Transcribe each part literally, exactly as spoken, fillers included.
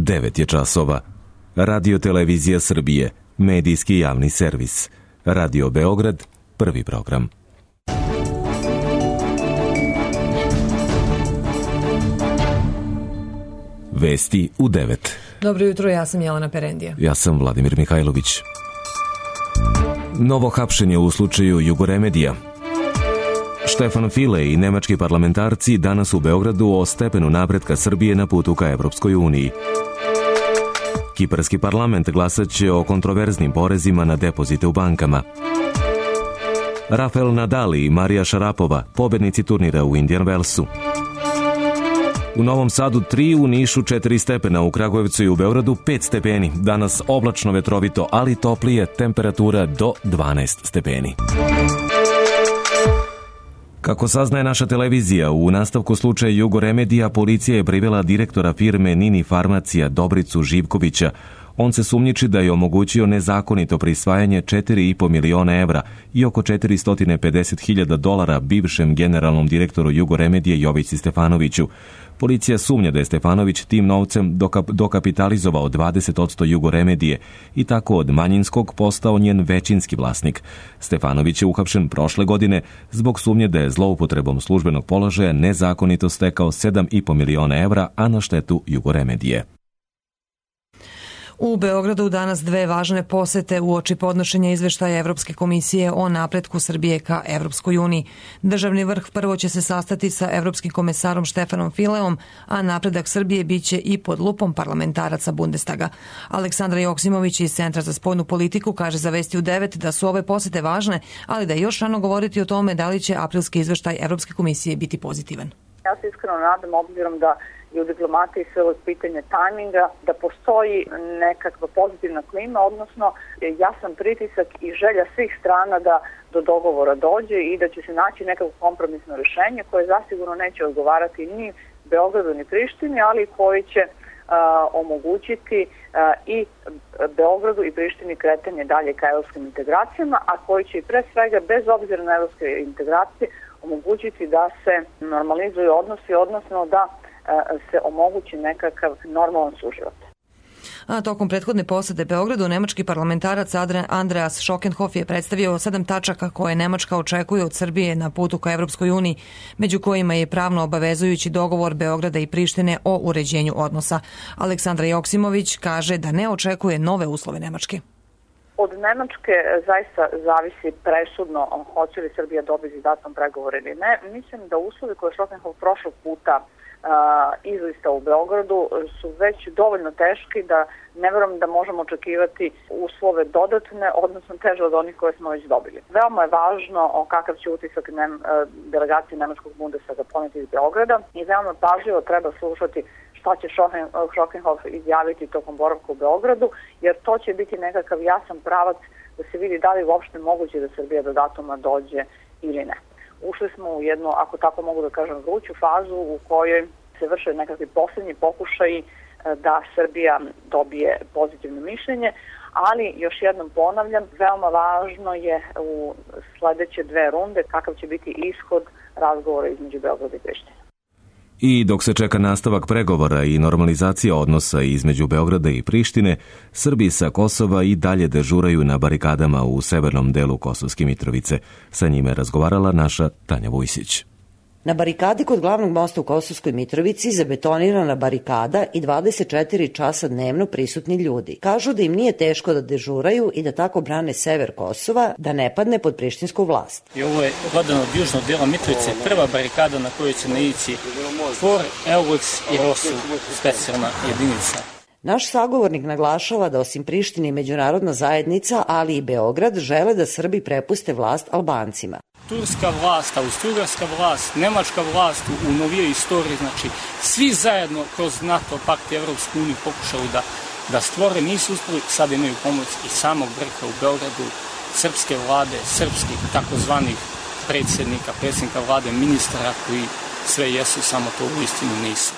devet je časova. Radio Televizija Srbije, medijski javni servis. Radio Beograd, prvi program. Vesti u devet. Dobro jutro, ja sam Jelena Perendija. Ja sam Vladimir Mihajlović. Novo hapšenje u slučaju Jugoremedija. Štefan File i nemački parlamentarci danas u Beogradu o stepenu napretka Srbije na putu ka Evropskoj uniji. Kiparski parlament glasaće o kontroverznim porezima na depozite u bankama. Rafael Nadal i Marija Šarapova, pobednici turnira u Indian Wellsu. U Novom Sadu tri, u Nišu četiri stepena, u Kragujevcu i u Beogradu pet stepeni. Danas oblačno, vetrovito, ali toplije, temperatura do dvanaest stepeni. Kako saznaje naša televizija, u nastavku slučaja Jugoremedija policija je privela direktora firme Nini Farmacija Dobricu Živkovića. On se sumnjiči da je omogućio nezakonito prisvajanje četiri i po miliona evra i oko četiristo pedeset hiljada dolara bivšem generalnom direktoru Jugoremedije Jovici Stefanoviću. Policija sumnja da je Stefanović tim novcem dokap- dokapitalizovao dvadeset posto Jugoremedije i tako od manjinskog postao njen većinski vlasnik. Stefanović je uhapšen prošle godine zbog sumnje da je zloupotrebom službenog položaja nezakonito stekao sedam i po miliona evra, a na štetu Jugoremedije. U Beogradu danas dve važne posete uoči podnošenja izveštaja Evropske komisije o napretku Srbije ka Evropskoj uniji. Državni vrh prvo će se sastati sa evropskim komesarom Štefanom Fileom, a napredak Srbije biće i pod lupom parlamentaraca Bundestaga. Aleksandra Joksimović iz Centra za spoljnu politiku kaže za Vesti u devet da su ove posete važne, ali da je još rano govoriti o tome da li će aprilski izveštaj Evropske komisije biti pozitivan. Ja se iskreno nadam, obzirom da i u diplomatiji sve ovo pitanje tajminga, da postoji nekakva pozitivna klima, odnosno jasan pritisak i želja svih strana da do dogovora dođe i da će se naći nekako kompromisno rješenje koje zasigurno neće odgovarati ni Beogradu ni Prištini, ali koji će a, omogućiti a, i Beogradu i Prištini kretanje dalje ka evropskim integracijama, a koji će i pre svega, bez obzira na evropske integracije, omogućiti da se normalizuju odnosi, odnosno da se omogući nekakav normalan suživot. A tokom prethodne posete Beogradu, nemački parlamentarac Andreas Schockenhoff je predstavio sedam tačaka koje Nemačka očekuje od Srbije na putu ka Evropskoj uniji, među kojima je pravno obavezujući dogovor Beograda i Prištine o uređenju odnosa. Aleksandra Joksimović kaže da ne očekuje nove uslove Nemačke. Od Nemačke zaista zavisi presudno hoće li Srbija dobiti datum pregovore ili ne. Mislim da uslovi koje Schockenhoff prošlog puta izlista u Beogradu su već dovoljno teški da ne verujem da možemo očekivati uslove dodatne, odnosno teže od onih koje smo već dobili. Veoma je važno kakav će utisak nem, delegacije Nemačkog Bundestaga poneti iz Beograda i veoma pažljivo treba slušati šta će Schockenhoff izjaviti tokom boravka u Beogradu, jer to će biti nekakav jasan pravac da se vidi da li uopšte moguće da Srbija do datuma dođe ili ne. Ušli smo u jednu, ako tako mogu da kažem, vruću fazu u kojoj se vrše nekakvi posljednji pokušaji da Srbija dobije pozitivno mišljenje, ali još jednom ponavljam, veoma važno je u sledeće dve runde kakav će biti ishod razgovora između Beograda i Prištine. I dok se čeka nastavak pregovora i normalizacija odnosa između Beograda i Prištine, Srbi sa Kosova i dalje dežuraju na barikadama u severnom delu Kosovske Mitrovice. Sa njime razgovarala naša Tanja Vujsić. Na barikadi kod glavnog mosta u Kosovskoj Mitrovici zabetonirana barikada i dvadeset četiri časa dnevno prisutni ljudi. Kažu da im nije teško da dežuraju i da tako brane sever Kosova, da ne padne pod prištinsku vlast. I ovo je gledano od južnog dela Mitrovice, prva barikada na kojoj će naići For, Eulex i Rosu, specijalna jedinica. Naš sagovornik naglašava da osim Prištine i međunarodna zajednica, ali i Beograd, žele da Srbi prepuste vlast Albancima. Turska vlast, austrougarska vlast, nemačka vlast u novijoj istoriji, znači svi zajedno kroz NATO, pakt i Evropsku uniju pokušali da, da stvore, nisu uspeli, sad imaju pomoć i samog vrha u Beogradu, srpske vlade, srpskih takozvanih predsjednika, predsjednika vlade, ministara koji sve jesu, samo to u istinu nisu.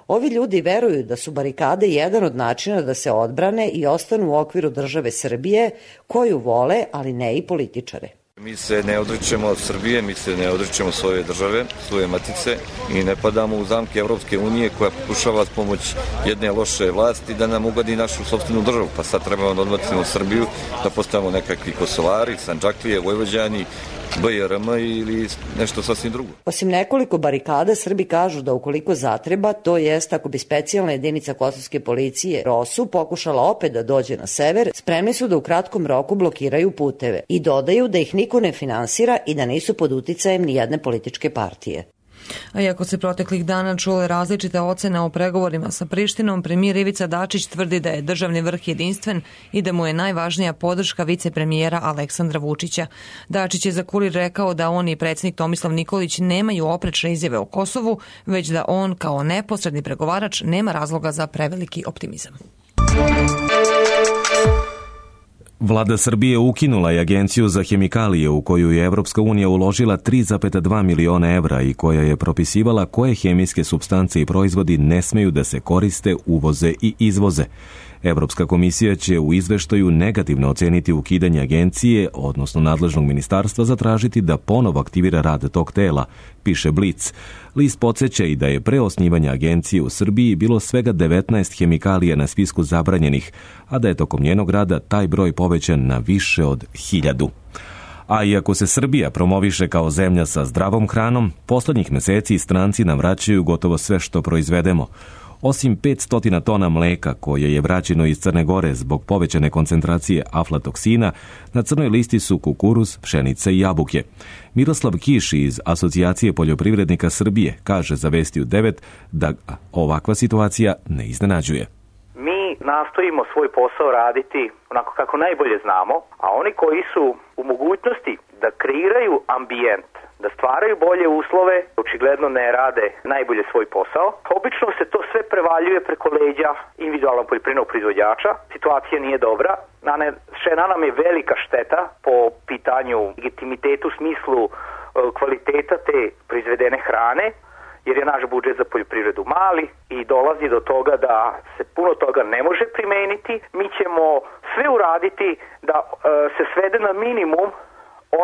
Ovi ljudi veruju da su barikade jedan od načina da se odbrane i ostanu u okviru države Srbije, koju vole, ali ne i političare. Mi se ne odričemo Srbije, mi se ne odričemo svoje države, svoje matice i ne padamo u zamke Evropske unije koja pokušava s pomoć jedne loše vlasti da nam ugadi našu sopstvenu državu. Pa sad trebamo da odbacimo Srbiju, da postavimo nekakvi Kosovari, Sandžaklije, Vojvođani, B R M ili nešto sasvim drugo. Osim nekoliko barikada, Srbi kažu da ukoliko zatreba, to jest ako bi specijalna jedinica kosovske policije ROSU pokušala opet da dođe na sever, spremni su da u kratkom roku blokiraju puteve i dodaju da ih niko ne finansira i da nisu pod uticajem ni jedne političke partije. A iako se proteklih dana čule različite ocene o pregovorima sa Prištinom, premijer Ivica Dačić tvrdi da je državni vrh jedinstven i da mu je najvažnija podrška vicepremijera Aleksandra Vučića. Dačić je za Kurir rekao da on i predsjednik Tomislav Nikolić nemaju oprečne izjave o Kosovu, već da on kao neposredni pregovarač nema razloga za preveliki optimizam. Vlada Srbije ukinula je agenciju za hemikalije u koju je Evropska unija uložila tri zarez dva miliona evra i koja je propisivala koje hemijske supstance i proizvodi ne smeju da se koriste, uvoze i izvoze. Evropska komisija će u izveštaju negativno oceniti ukidanje agencije, odnosno nadležnog ministarstva zatražiti da ponovo aktivira rad tog tela, piše Blic. List podsjeća i da je pre osnivanja agencije u Srbiji bilo svega devetnaest hemikalija na spisku zabranjenih, a da je tokom njenog rada taj broj povećan na više od hiljadu. A iako se Srbija promoviše kao zemlja sa zdravom hranom, poslednjih meseci stranci nam vraćaju gotovo sve što proizvedemo. Osim petsto tona mleka koje je vraćeno iz Crne Gore zbog povećane koncentracije aflatoksina, na crnoj listi su kukuruz, pšenica i jabuke. Miroslav Kiš iz Asocijacije poljoprivrednika Srbije kaže za Vesti u devet da ovakva situacija ne iznenađuje. Mi nastojimo svoj posao raditi onako kako najbolje znamo, a oni koji su u mogućnosti da kreiraju ambijent, da stvaraju bolje uslove, očigledno ne rade najbolje svoj posao. Obično se to sve prevaljuje preko leđa individualnog poljoprivrednog proizvođača. Situacija nije dobra. Nanešena nam je velika šteta po pitanju legitimitetu u smislu kvaliteta te proizvedene hrane, jer je naš budžet za poljoprivredu mali i dolazi do toga da se puno toga ne može primeniti. Mi ćemo sve uraditi da e, se svede na minimum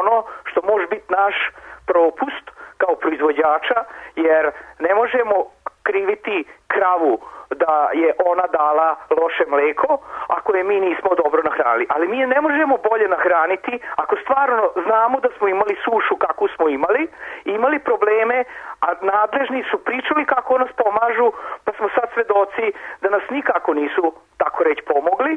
ono što može biti naš propust kao proizvođača, jer ne možemo kriviti kravu da je ona dala loše mleko ako je mi nismo dobro nahranili. Ali mi je ne možemo bolje nahraniti ako stvarno znamo da smo imali sušu kakvu smo imali, imali probleme, a nadležni su pričali kako nas pomažu, pa smo sad svedoci da nas nikako nisu, tako reći, pomogli.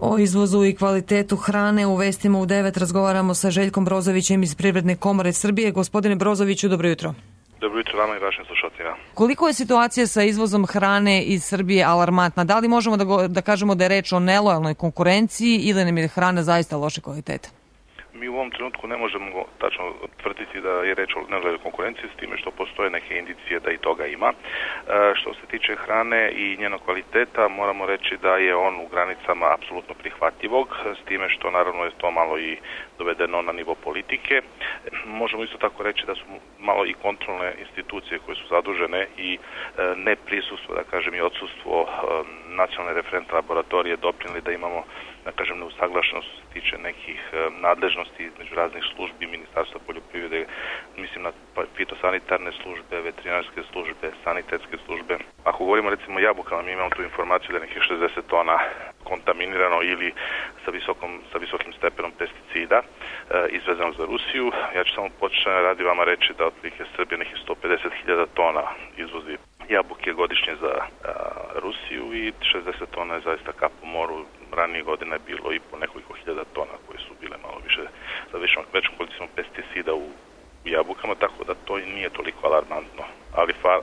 O izvozu i kvalitetu hrane u Vestima u devet razgovaramo sa Željkom Brozovićem iz Privredne komore Srbije. Gospodine Brozoviću, dobro jutro. Dobro jutro vama i vašim slušateljima. Koliko je situacija sa izvozom hrane iz Srbije alarmantna? Da li možemo da, go, da kažemo da je reč o nelojalnoj konkurenciji ili nam je hrana zaista loše kvaliteta? Mi u ovom trenutku ne možemo tačno tvrditi da je reč o nelojalnoj konkurenciji, s time što postoje neke indicije da i toga ima. E, što se tiče hrane i njenog kvaliteta, moramo reći da je on u granicama apsolutno prihvatljivog, s time što naravno je to malo i dovedeno na nivo politike. Možemo isto tako reći da su malo i kontrolne institucije koje su zadužene i e, neprisustvo, da kažem, i odsustvo e, nacionalne referentne laboratorije doprinijeli da imamo, da kažem, neusaglašenost što se tiče nekih e, nadležnosti između raznih službi Ministarstva poljoprivrede, mislim na fitosanitarne službe, veterinarske službe, sanitetske službe. Ako govorimo recimo o jabukama, mi imamo tu informaciju da je nekih šezdeset tona kontaminirano ili sa, visokom, sa visokim stepenom pesticida e, izvezano za Rusiju. Ja ću samo početi radi vama reći da otprilike Srbije nekih sto pedeset hiljada tona izvozi jabuke godišnje za a, Rusiju i šezdeset tona je zaista kap u moru. Ranije godine je bilo i po nekoliko hiljada tona koje su bile malo više za većom, većom količinom pesticida u jabukama, tako da to nije toliko alarmantno. Ali fa,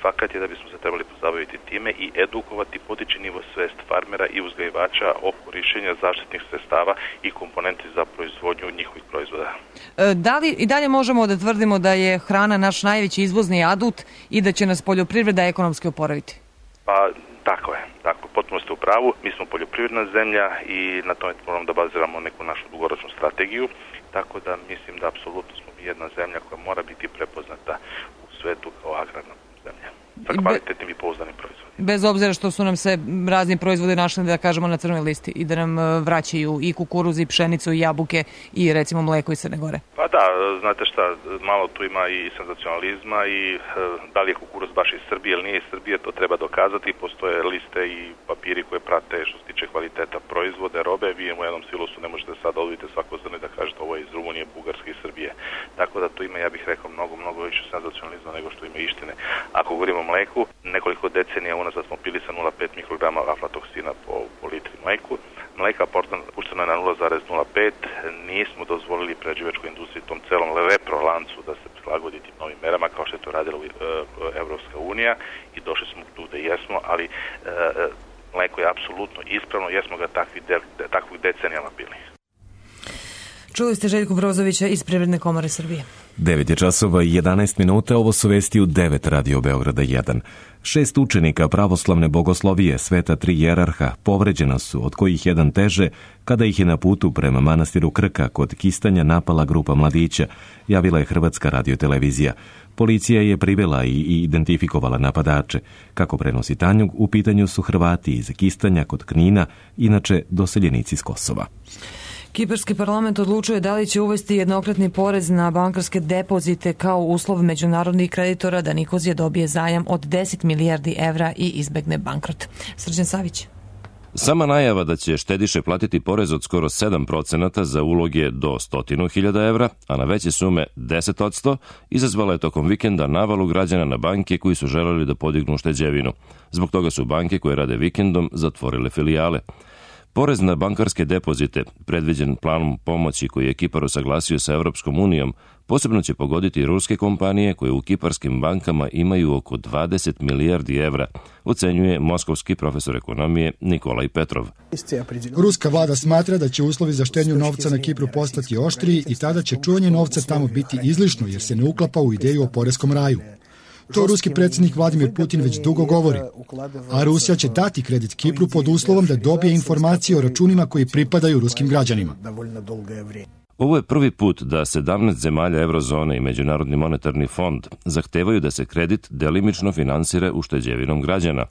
fakat je da bismo se trebali pozabaviti time i edukovati, podići nivo svest farmera i uzgajivača o korišćenju zaštitnih sredstava i komponenti za proizvodnju njihovih proizvoda. Da li i dalje možemo da tvrdimo da je hrana naš najveći izvozni adut i da će nas poljoprivreda ekonomski oporaviti? Pa tako je, tako, potpuno ste u pravu. Mi smo poljoprivredna zemlja i na tome moramo da baziramo neku našu dugoročnu strategiju, tako da mislim da apsolutno smo jedna zemlja koja mora biti prepoznata u svetu kao agrarna zemlja sa kvalitetnim i pouzdanim proizvodima. Bez obzira što su nam se razni proizvodi našli, da kažemo, na crnoj listi i da nam vraćaju i kukuruz i pšenicu i jabuke i recimo mleko iz Crne Gore. Pa da, znate šta, malo tu ima i senzacionalizma i e, da li je kukuruz baš iz Srbije ili nije iz Srbije, to treba dokazati. Postoje liste i papiri koje prate što se tiče kvaliteta proizvode, robe. Vi u jednom silosu ne možete sad odvojiti svako zrno i da kažete ovo je iz Rumunije, Bugarske i Srbije. Tako da tu ima, ja bih rekao, mnogo, mnogo više senzacionalizma nego što ima istine. Ako govorimo o mleku, nekoliko decenija unazad smo pili sa nula zarez pet mikrograma aflatoksina po, po litri mleku. Mleka puštena je na nula zarez nula pet. Nismo dozvolili prerađivačkoj industriji, tom celom reprolancu da se prilagodi tim novim merama kao što je to radila uh, Evropska unija i došli smo tu da jesmo, ali uh, mleko je apsolutno ispravno, jesmo ga takvi de, de, takvih decenijama pili. Čuli ste Željku Brozovića iz Privredne komore Srbije. devet je časova i jedanaest minuta, ovo su vesti u devet Radio Beograda jedan. Šest učenika pravoslavne bogoslovije Sveta Tri Jerarha povređena su, od kojih jedan teže, kada ih je na putu prema manastiru Krka kod Kistanja napala grupa mladića, javila je Hrvatska radiotelevizija. Policija je privela i identifikovala napadače. Kako prenosi Tanjug, u pitanju su Hrvati iz Kistanja kod Knina, inače doseljenici iz Kosova. Kiparski parlament odlučuje da li će uvesti jednokratni porez na bankarske depozite kao uslov međunarodnih kreditora da Nikozija dobije zajam od deset milijardi evra i izbegne bankrot. Srđan Savić. Sama najava da će štediše platiti porez od skoro sedam procenata za uloge do sto hiljada evra, a na veće sume deset posto, izazvala je tokom vikenda navalu građana na banke koji su želeli da podignu šteđevinu. Zbog toga su banke koje rade vikendom zatvorile filijale. Porez na bankarske depozite, predviđen planom pomoći koji je Kipar usaglasio sa Evropskom unijom, posebno će pogoditi ruske kompanije koje u kiparskim bankama imaju oko dvadeset milijardi evra, ocenjuje moskovski profesor ekonomije Nikolaj Petrov. Ruska vlada smatra da će uslovi za štednju novca na Kipru postati oštriji i tada će čuvanje novca tamo biti izlišno jer se ne uklapa u ideju o poreskom raju. To ruski predsjednik Vladimir Putin već dugo govori, a Rusija će dati kredit Kipru pod uslovom da dobije informacije o računima koji pripadaju ruskim građanima. Ovo je prvi put da sedamnaest zemalja Eurozone i Međunarodni monetarni fond zahtevaju da se kredit delimično finansira ušteđevinom građana.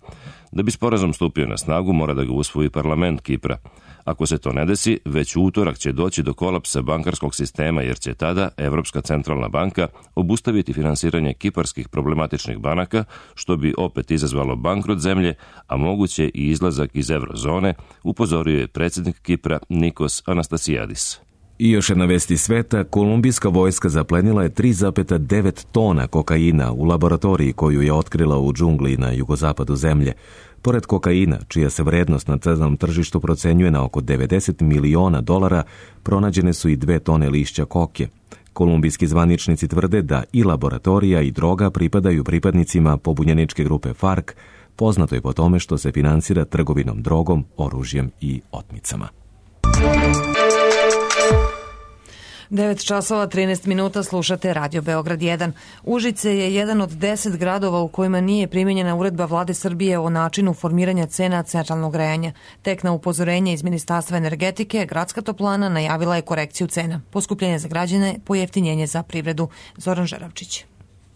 Da bi sporazum stupio na snagu, mora da ga usvoji parlament Kipra. Ako se to ne desi, već u utorak će doći do kolapsa bankarskog sistema jer će tada Evropska centralna banka obustaviti finansiranje kiparskih problematičnih banaka, što bi opet izazvalo bankrot zemlje, a moguće i izlazak iz Eurozone, upozorio je predsjednik Kipra Nikos Anastasiadis. I još jedna vesti sveta, kolumbijska vojska zaplenila je tri zarez devet tona kokaina u laboratoriji koju je otkrila u džungli na jugozapadu zemlje. Pored kokaina, čija se vrednost na crnom tržištu procenjuje na oko devedeset miliona dolara, pronađene su i dve tone lišća koke. Kolumbijski zvaničnici tvrde da i laboratorija i droga pripadaju pripadnicima pobunjeničke grupe FARC, poznato je po tome što se finansira trgovinom drogom, oružjem i otmicama. devet časova trinaest minuta, slušate Radio Beograd jedan. Užice je jedan od deset gradova u kojima nije primjenjena uredba Vlade Srbije o načinu formiranja cena centralnog grejanja. Tek na upozorenje iz Ministarstva energetike, gradska toplana najavila je korekciju cena. Poskupljenje za građane, pojeftinjenje za privredu. Zoran Žeravčić.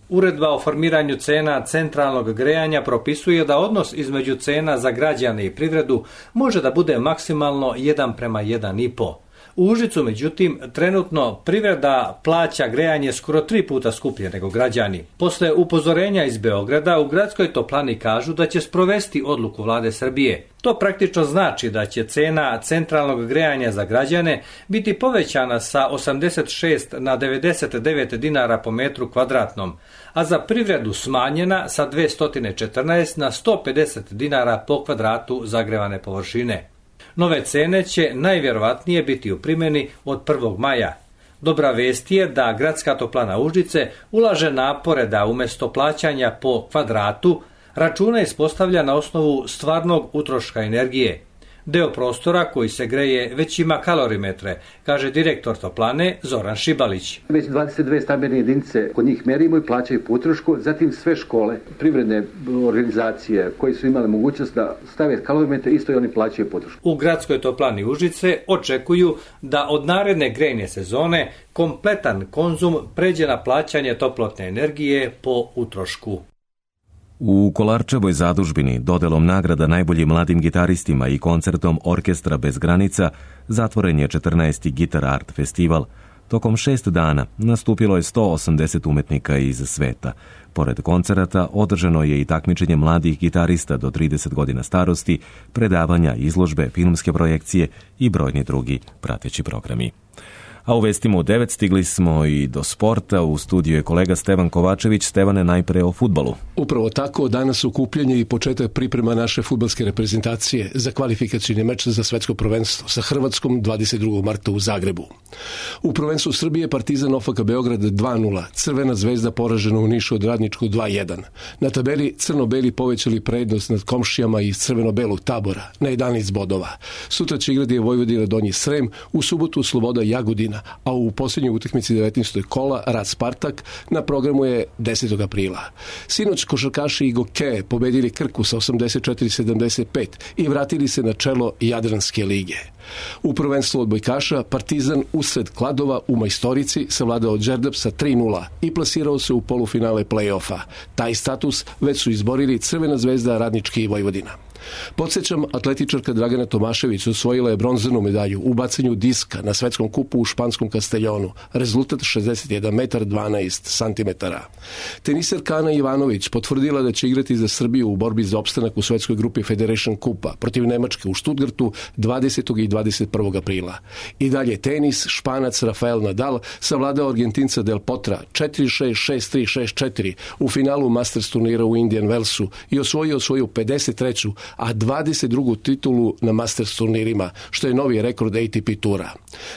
Uredba o formiranju cena centralnog grejanja propisuje da odnos između cena za građane i privredu može da bude maksimalno jedan prema jedan i po. U Užicu, međutim, trenutno privreda plaća grejanje skoro tri puta skuplje nego građani. Posle upozorenja iz Beograda, u gradskoj toplani kažu da će sprovesti odluku Vlade Srbije. To praktično znači da će cena centralnog grejanja za građane biti povećana sa osamdeset šest na devedeset devet dinara po metru kvadratnom, a za privredu smanjena sa dvesta četrnaest na sto pedeset dinara po kvadratu zagrevane površine. Nove cene će najvjerovatnije biti u primjeni od prvog maja. Dobra vest je da gradska toplana Užice ulaže napore da umjesto plaćanja po kvadratu račune ispostavlja na osnovu stvarnog utroška energije. Deo prostora koji se greje već ima kalorimetre, kaže direktor toplane Zoran Šibalić. Već dvadeset dve stambene jedinice kod njih merimo i plaćaju po utrošku, zatim sve škole, privredne organizacije koje su imale mogućnost da stave kalorimetre, isto i oni plaćaju po utrošku. U gradskoj toplani Užice očekuju da od naredne grejne sezone kompletan konzum pređe na plaćanje toplotne energije po utrošku. U Kolarčevoj zadužbini dodelom nagrada najboljim mladim gitaristima i koncertom Orkestra bez granica zatvoren je četrnaesti Guitar Art festival. Tokom šest dana nastupilo je sto osamdeset umetnika iz sveta. Pored koncerata održano je i takmičenje mladih gitarista do trideset godina starosti, predavanja, izložbe, filmske projekcije i brojni drugi prateći programi. A u vestima u devet stigli smo i do sporta. U studiju je kolega Stevan Kovačević. Stevane, najpre o fudbalu. Upravo tako, danas okupljanje i početak priprema naše fudbalske reprezentacije za kvalifikacijni meč za svetsko prvenstvo sa Hrvatskom dvadeset drugog marta u Zagrebu. U prvenstvu Srbije Partizan O F K Beograd dva nula, Crvena zvezda poražena u Nišu od Radničkog dva jedan. Na tabeli crno-beli povećali prednost nad komšijama iz crveno-belog Tabora na jedanaest bodova. Sutra će igrati Vojvodina Donji Srem, u subotu Sloboda Jagodina, a u posljednjoj utakmici devetnaestog kola Rad Spartak na programu je desetog aprila. Sinoć košarkaši i Goke pobedili Krku sa osamdeset četiri sedamdeset pet i vratili se na čelo Jadranske lige. U prvenstvu odbojkaša Partizan usred Kladova u Majstorici savladao Đerdap sa tri nula i plasirao se u polufinale play-offa. Taj status već su izborili Crvena zvezda, Radnički i Vojvodina. Podsjećam, atletičarka Dragana Tomašević osvojila je bronzanu medalju u bacanju diska na svetskom kupu u španskom Kasteljonu. Rezultat šezdeset jedan metar dvanaest santimetara. Teniserka Ana Ivanović potvrdila da će igrati za Srbiju u borbi za opstanak u svetskoj grupi Federation Kupa protiv Nemačke u Stuttgartu dvadesetog i dvadeset prvog aprila. I dalje tenis, Španac Rafael Nadal savladao Argentinca Del Potra četiri šest, šest tri, šest četiri u finalu Masters turnira u Indian Wellsu i osvojio svoju pedeset treću a dvadeset drugu titulu na Masters turnirima, što je novi rekord A T P tura.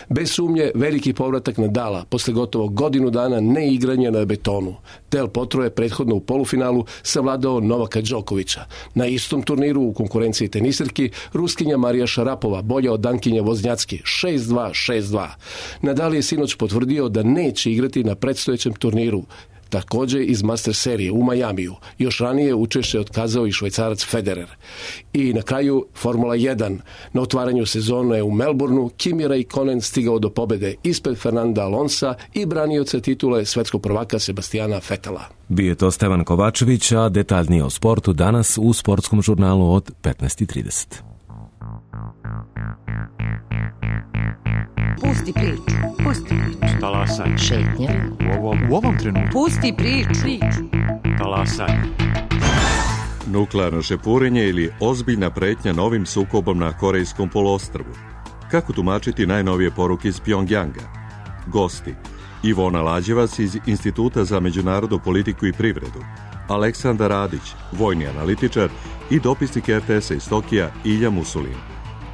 Bez sumnje, veliki povratak Nadala posle gotovo godinu dana neigranja na betonu. Del Potro je prethodno u polufinalu savladao Novaka Đokovića. Na istom turniru u konkurenciji teniserki Ruskinja Marija Šarapova bolja od Dankinja Voznjacki šest dva, šest dva. Nadal je sinoć potvrdio da neće igrati na predstojećem turniru, također iz Master serije u Majamiju. Još ranije učešće otkazao i Švajcarac Federer. I na kraju Formula jedan. Na otvaranju sezone u Melbourneu Kimi Räikkönen stigao do pobede ispred Fernanda Alonsa i branioca titule svetskog prvaka Sebastijana Vetela. Bio je to Stevan Kovačević, a detaljnije o sportu danas u sportskom žurnalu od petnaest i trideset. Pusti priču, pusti priču. Talasaj. Šetnja. U ovom, u ovom trenutku. Pusti priču. Talasaj. Nuklearno šepurenje ili ozbiljna pretnja novim sukobom na Korejskom poluostrvu. Kako tumačiti najnovije poruke iz Pjongjanga? Gosti: Ivona Lađevac iz Instituta za međunarodnu politiku i privredu, Aleksandar Radić, vojni analitičar, i dopisnik R T S-a iz Tokija Ilja Musulin.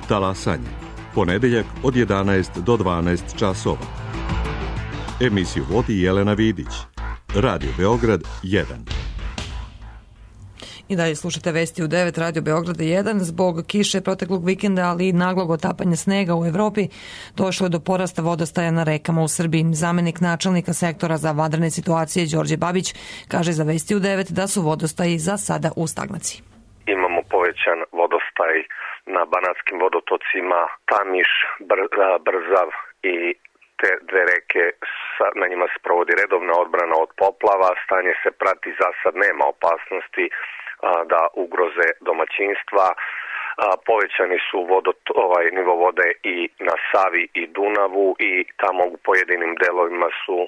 Talasanje. Ponedeljak od jedanaest do dvanaest časova. Emisiju vodi Jelena Vidić. Radio Beograd jedan. I dalje slušate vesti u devet, Radio Beograda jedan. Zbog kiše proteklog vikenda, ali i naglog otapanja snega u Evropi, došlo je do porasta vodostaja na rekama u Srbiji. Zamenik načelnika sektora za vanredne situacije Đorđe Babić kaže za vesti u devet da su vodostaji za sada u stagnaciji. Imamo povećan vodostaj na banatskim vodotocima Tamiš, Brzav i te dve reke, na njima se provodi redovna odbrana od poplava, stanje se prati, za sad nema opasnosti da ugroze domaćinstva. Povećani su vodot, ovaj, nivo vode i na Savi i Dunavu i tamo u pojedinim delovima su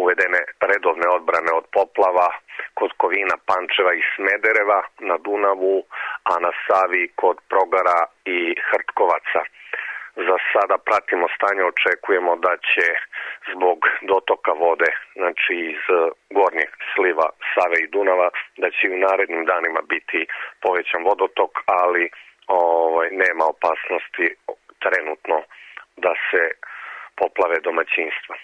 uvedene redovne odbrane od poplava kod Kovina, Pančeva i Smedereva na Dunavu, a na Savi kod Progara i Hrtkovaca. Za sada pratimo stanje, očekujemo da će zbog dotoka vode, znači iz gornjeg sliva Save i Dunava, da će u narednim danima biti povećan vodotok, ali ovaj, nema opasnosti trenutno da se poplave domaćinstva.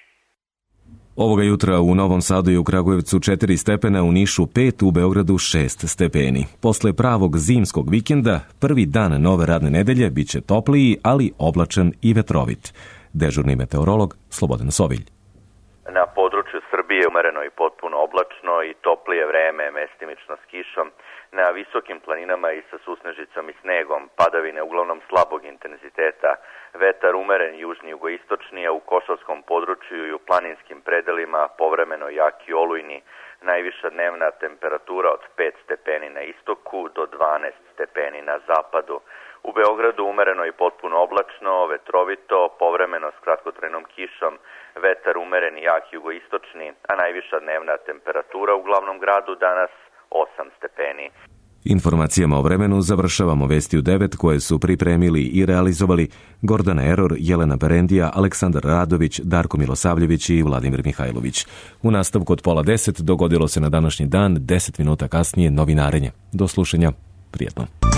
Ovoga jutra u Novom Sadu i u Kragujevcu četiri stepena, u Nišu pet, u Beogradu šest stepeni. Posle pravog zimskog vikenda, prvi dan nove radne nedelje biće topliji, ali oblačan i vetrovit. Dežurni meteorolog Slobodan Sovilj. Na području Srbije umereno i potpuno oblačno i toplije vreme, mestimično s kišom. Na visokim planinama i sa susnežicom i snegom, padavine uglavnom slabog intenziteta, vetar umeren južni jugoistočni, a u košarskom području i u planinskim predelima povremeno jaki olujni, najviša dnevna temperatura od pet stepeni na istoku do dvanaest stepeni na zapadu. U Beogradu umereno i potpuno oblačno, vetrovito, povremeno s kratkotrajnom kišom, vetar umeren i jak jugoistočni, a najviša dnevna temperatura u glavnom gradu danas osam stepeni. Informacijama o vremenu završavamo vesti u devet koje su pripremili i realizovali Gordana Eror, Jelena Perendija, Aleksandar Radović, Darko Milosavljević i Vladimir Mihajlović. U nastavku od pola deset dogodilo se na današnji dan, deset minuta kasnije novinarenje. Do slušanja, prijetno.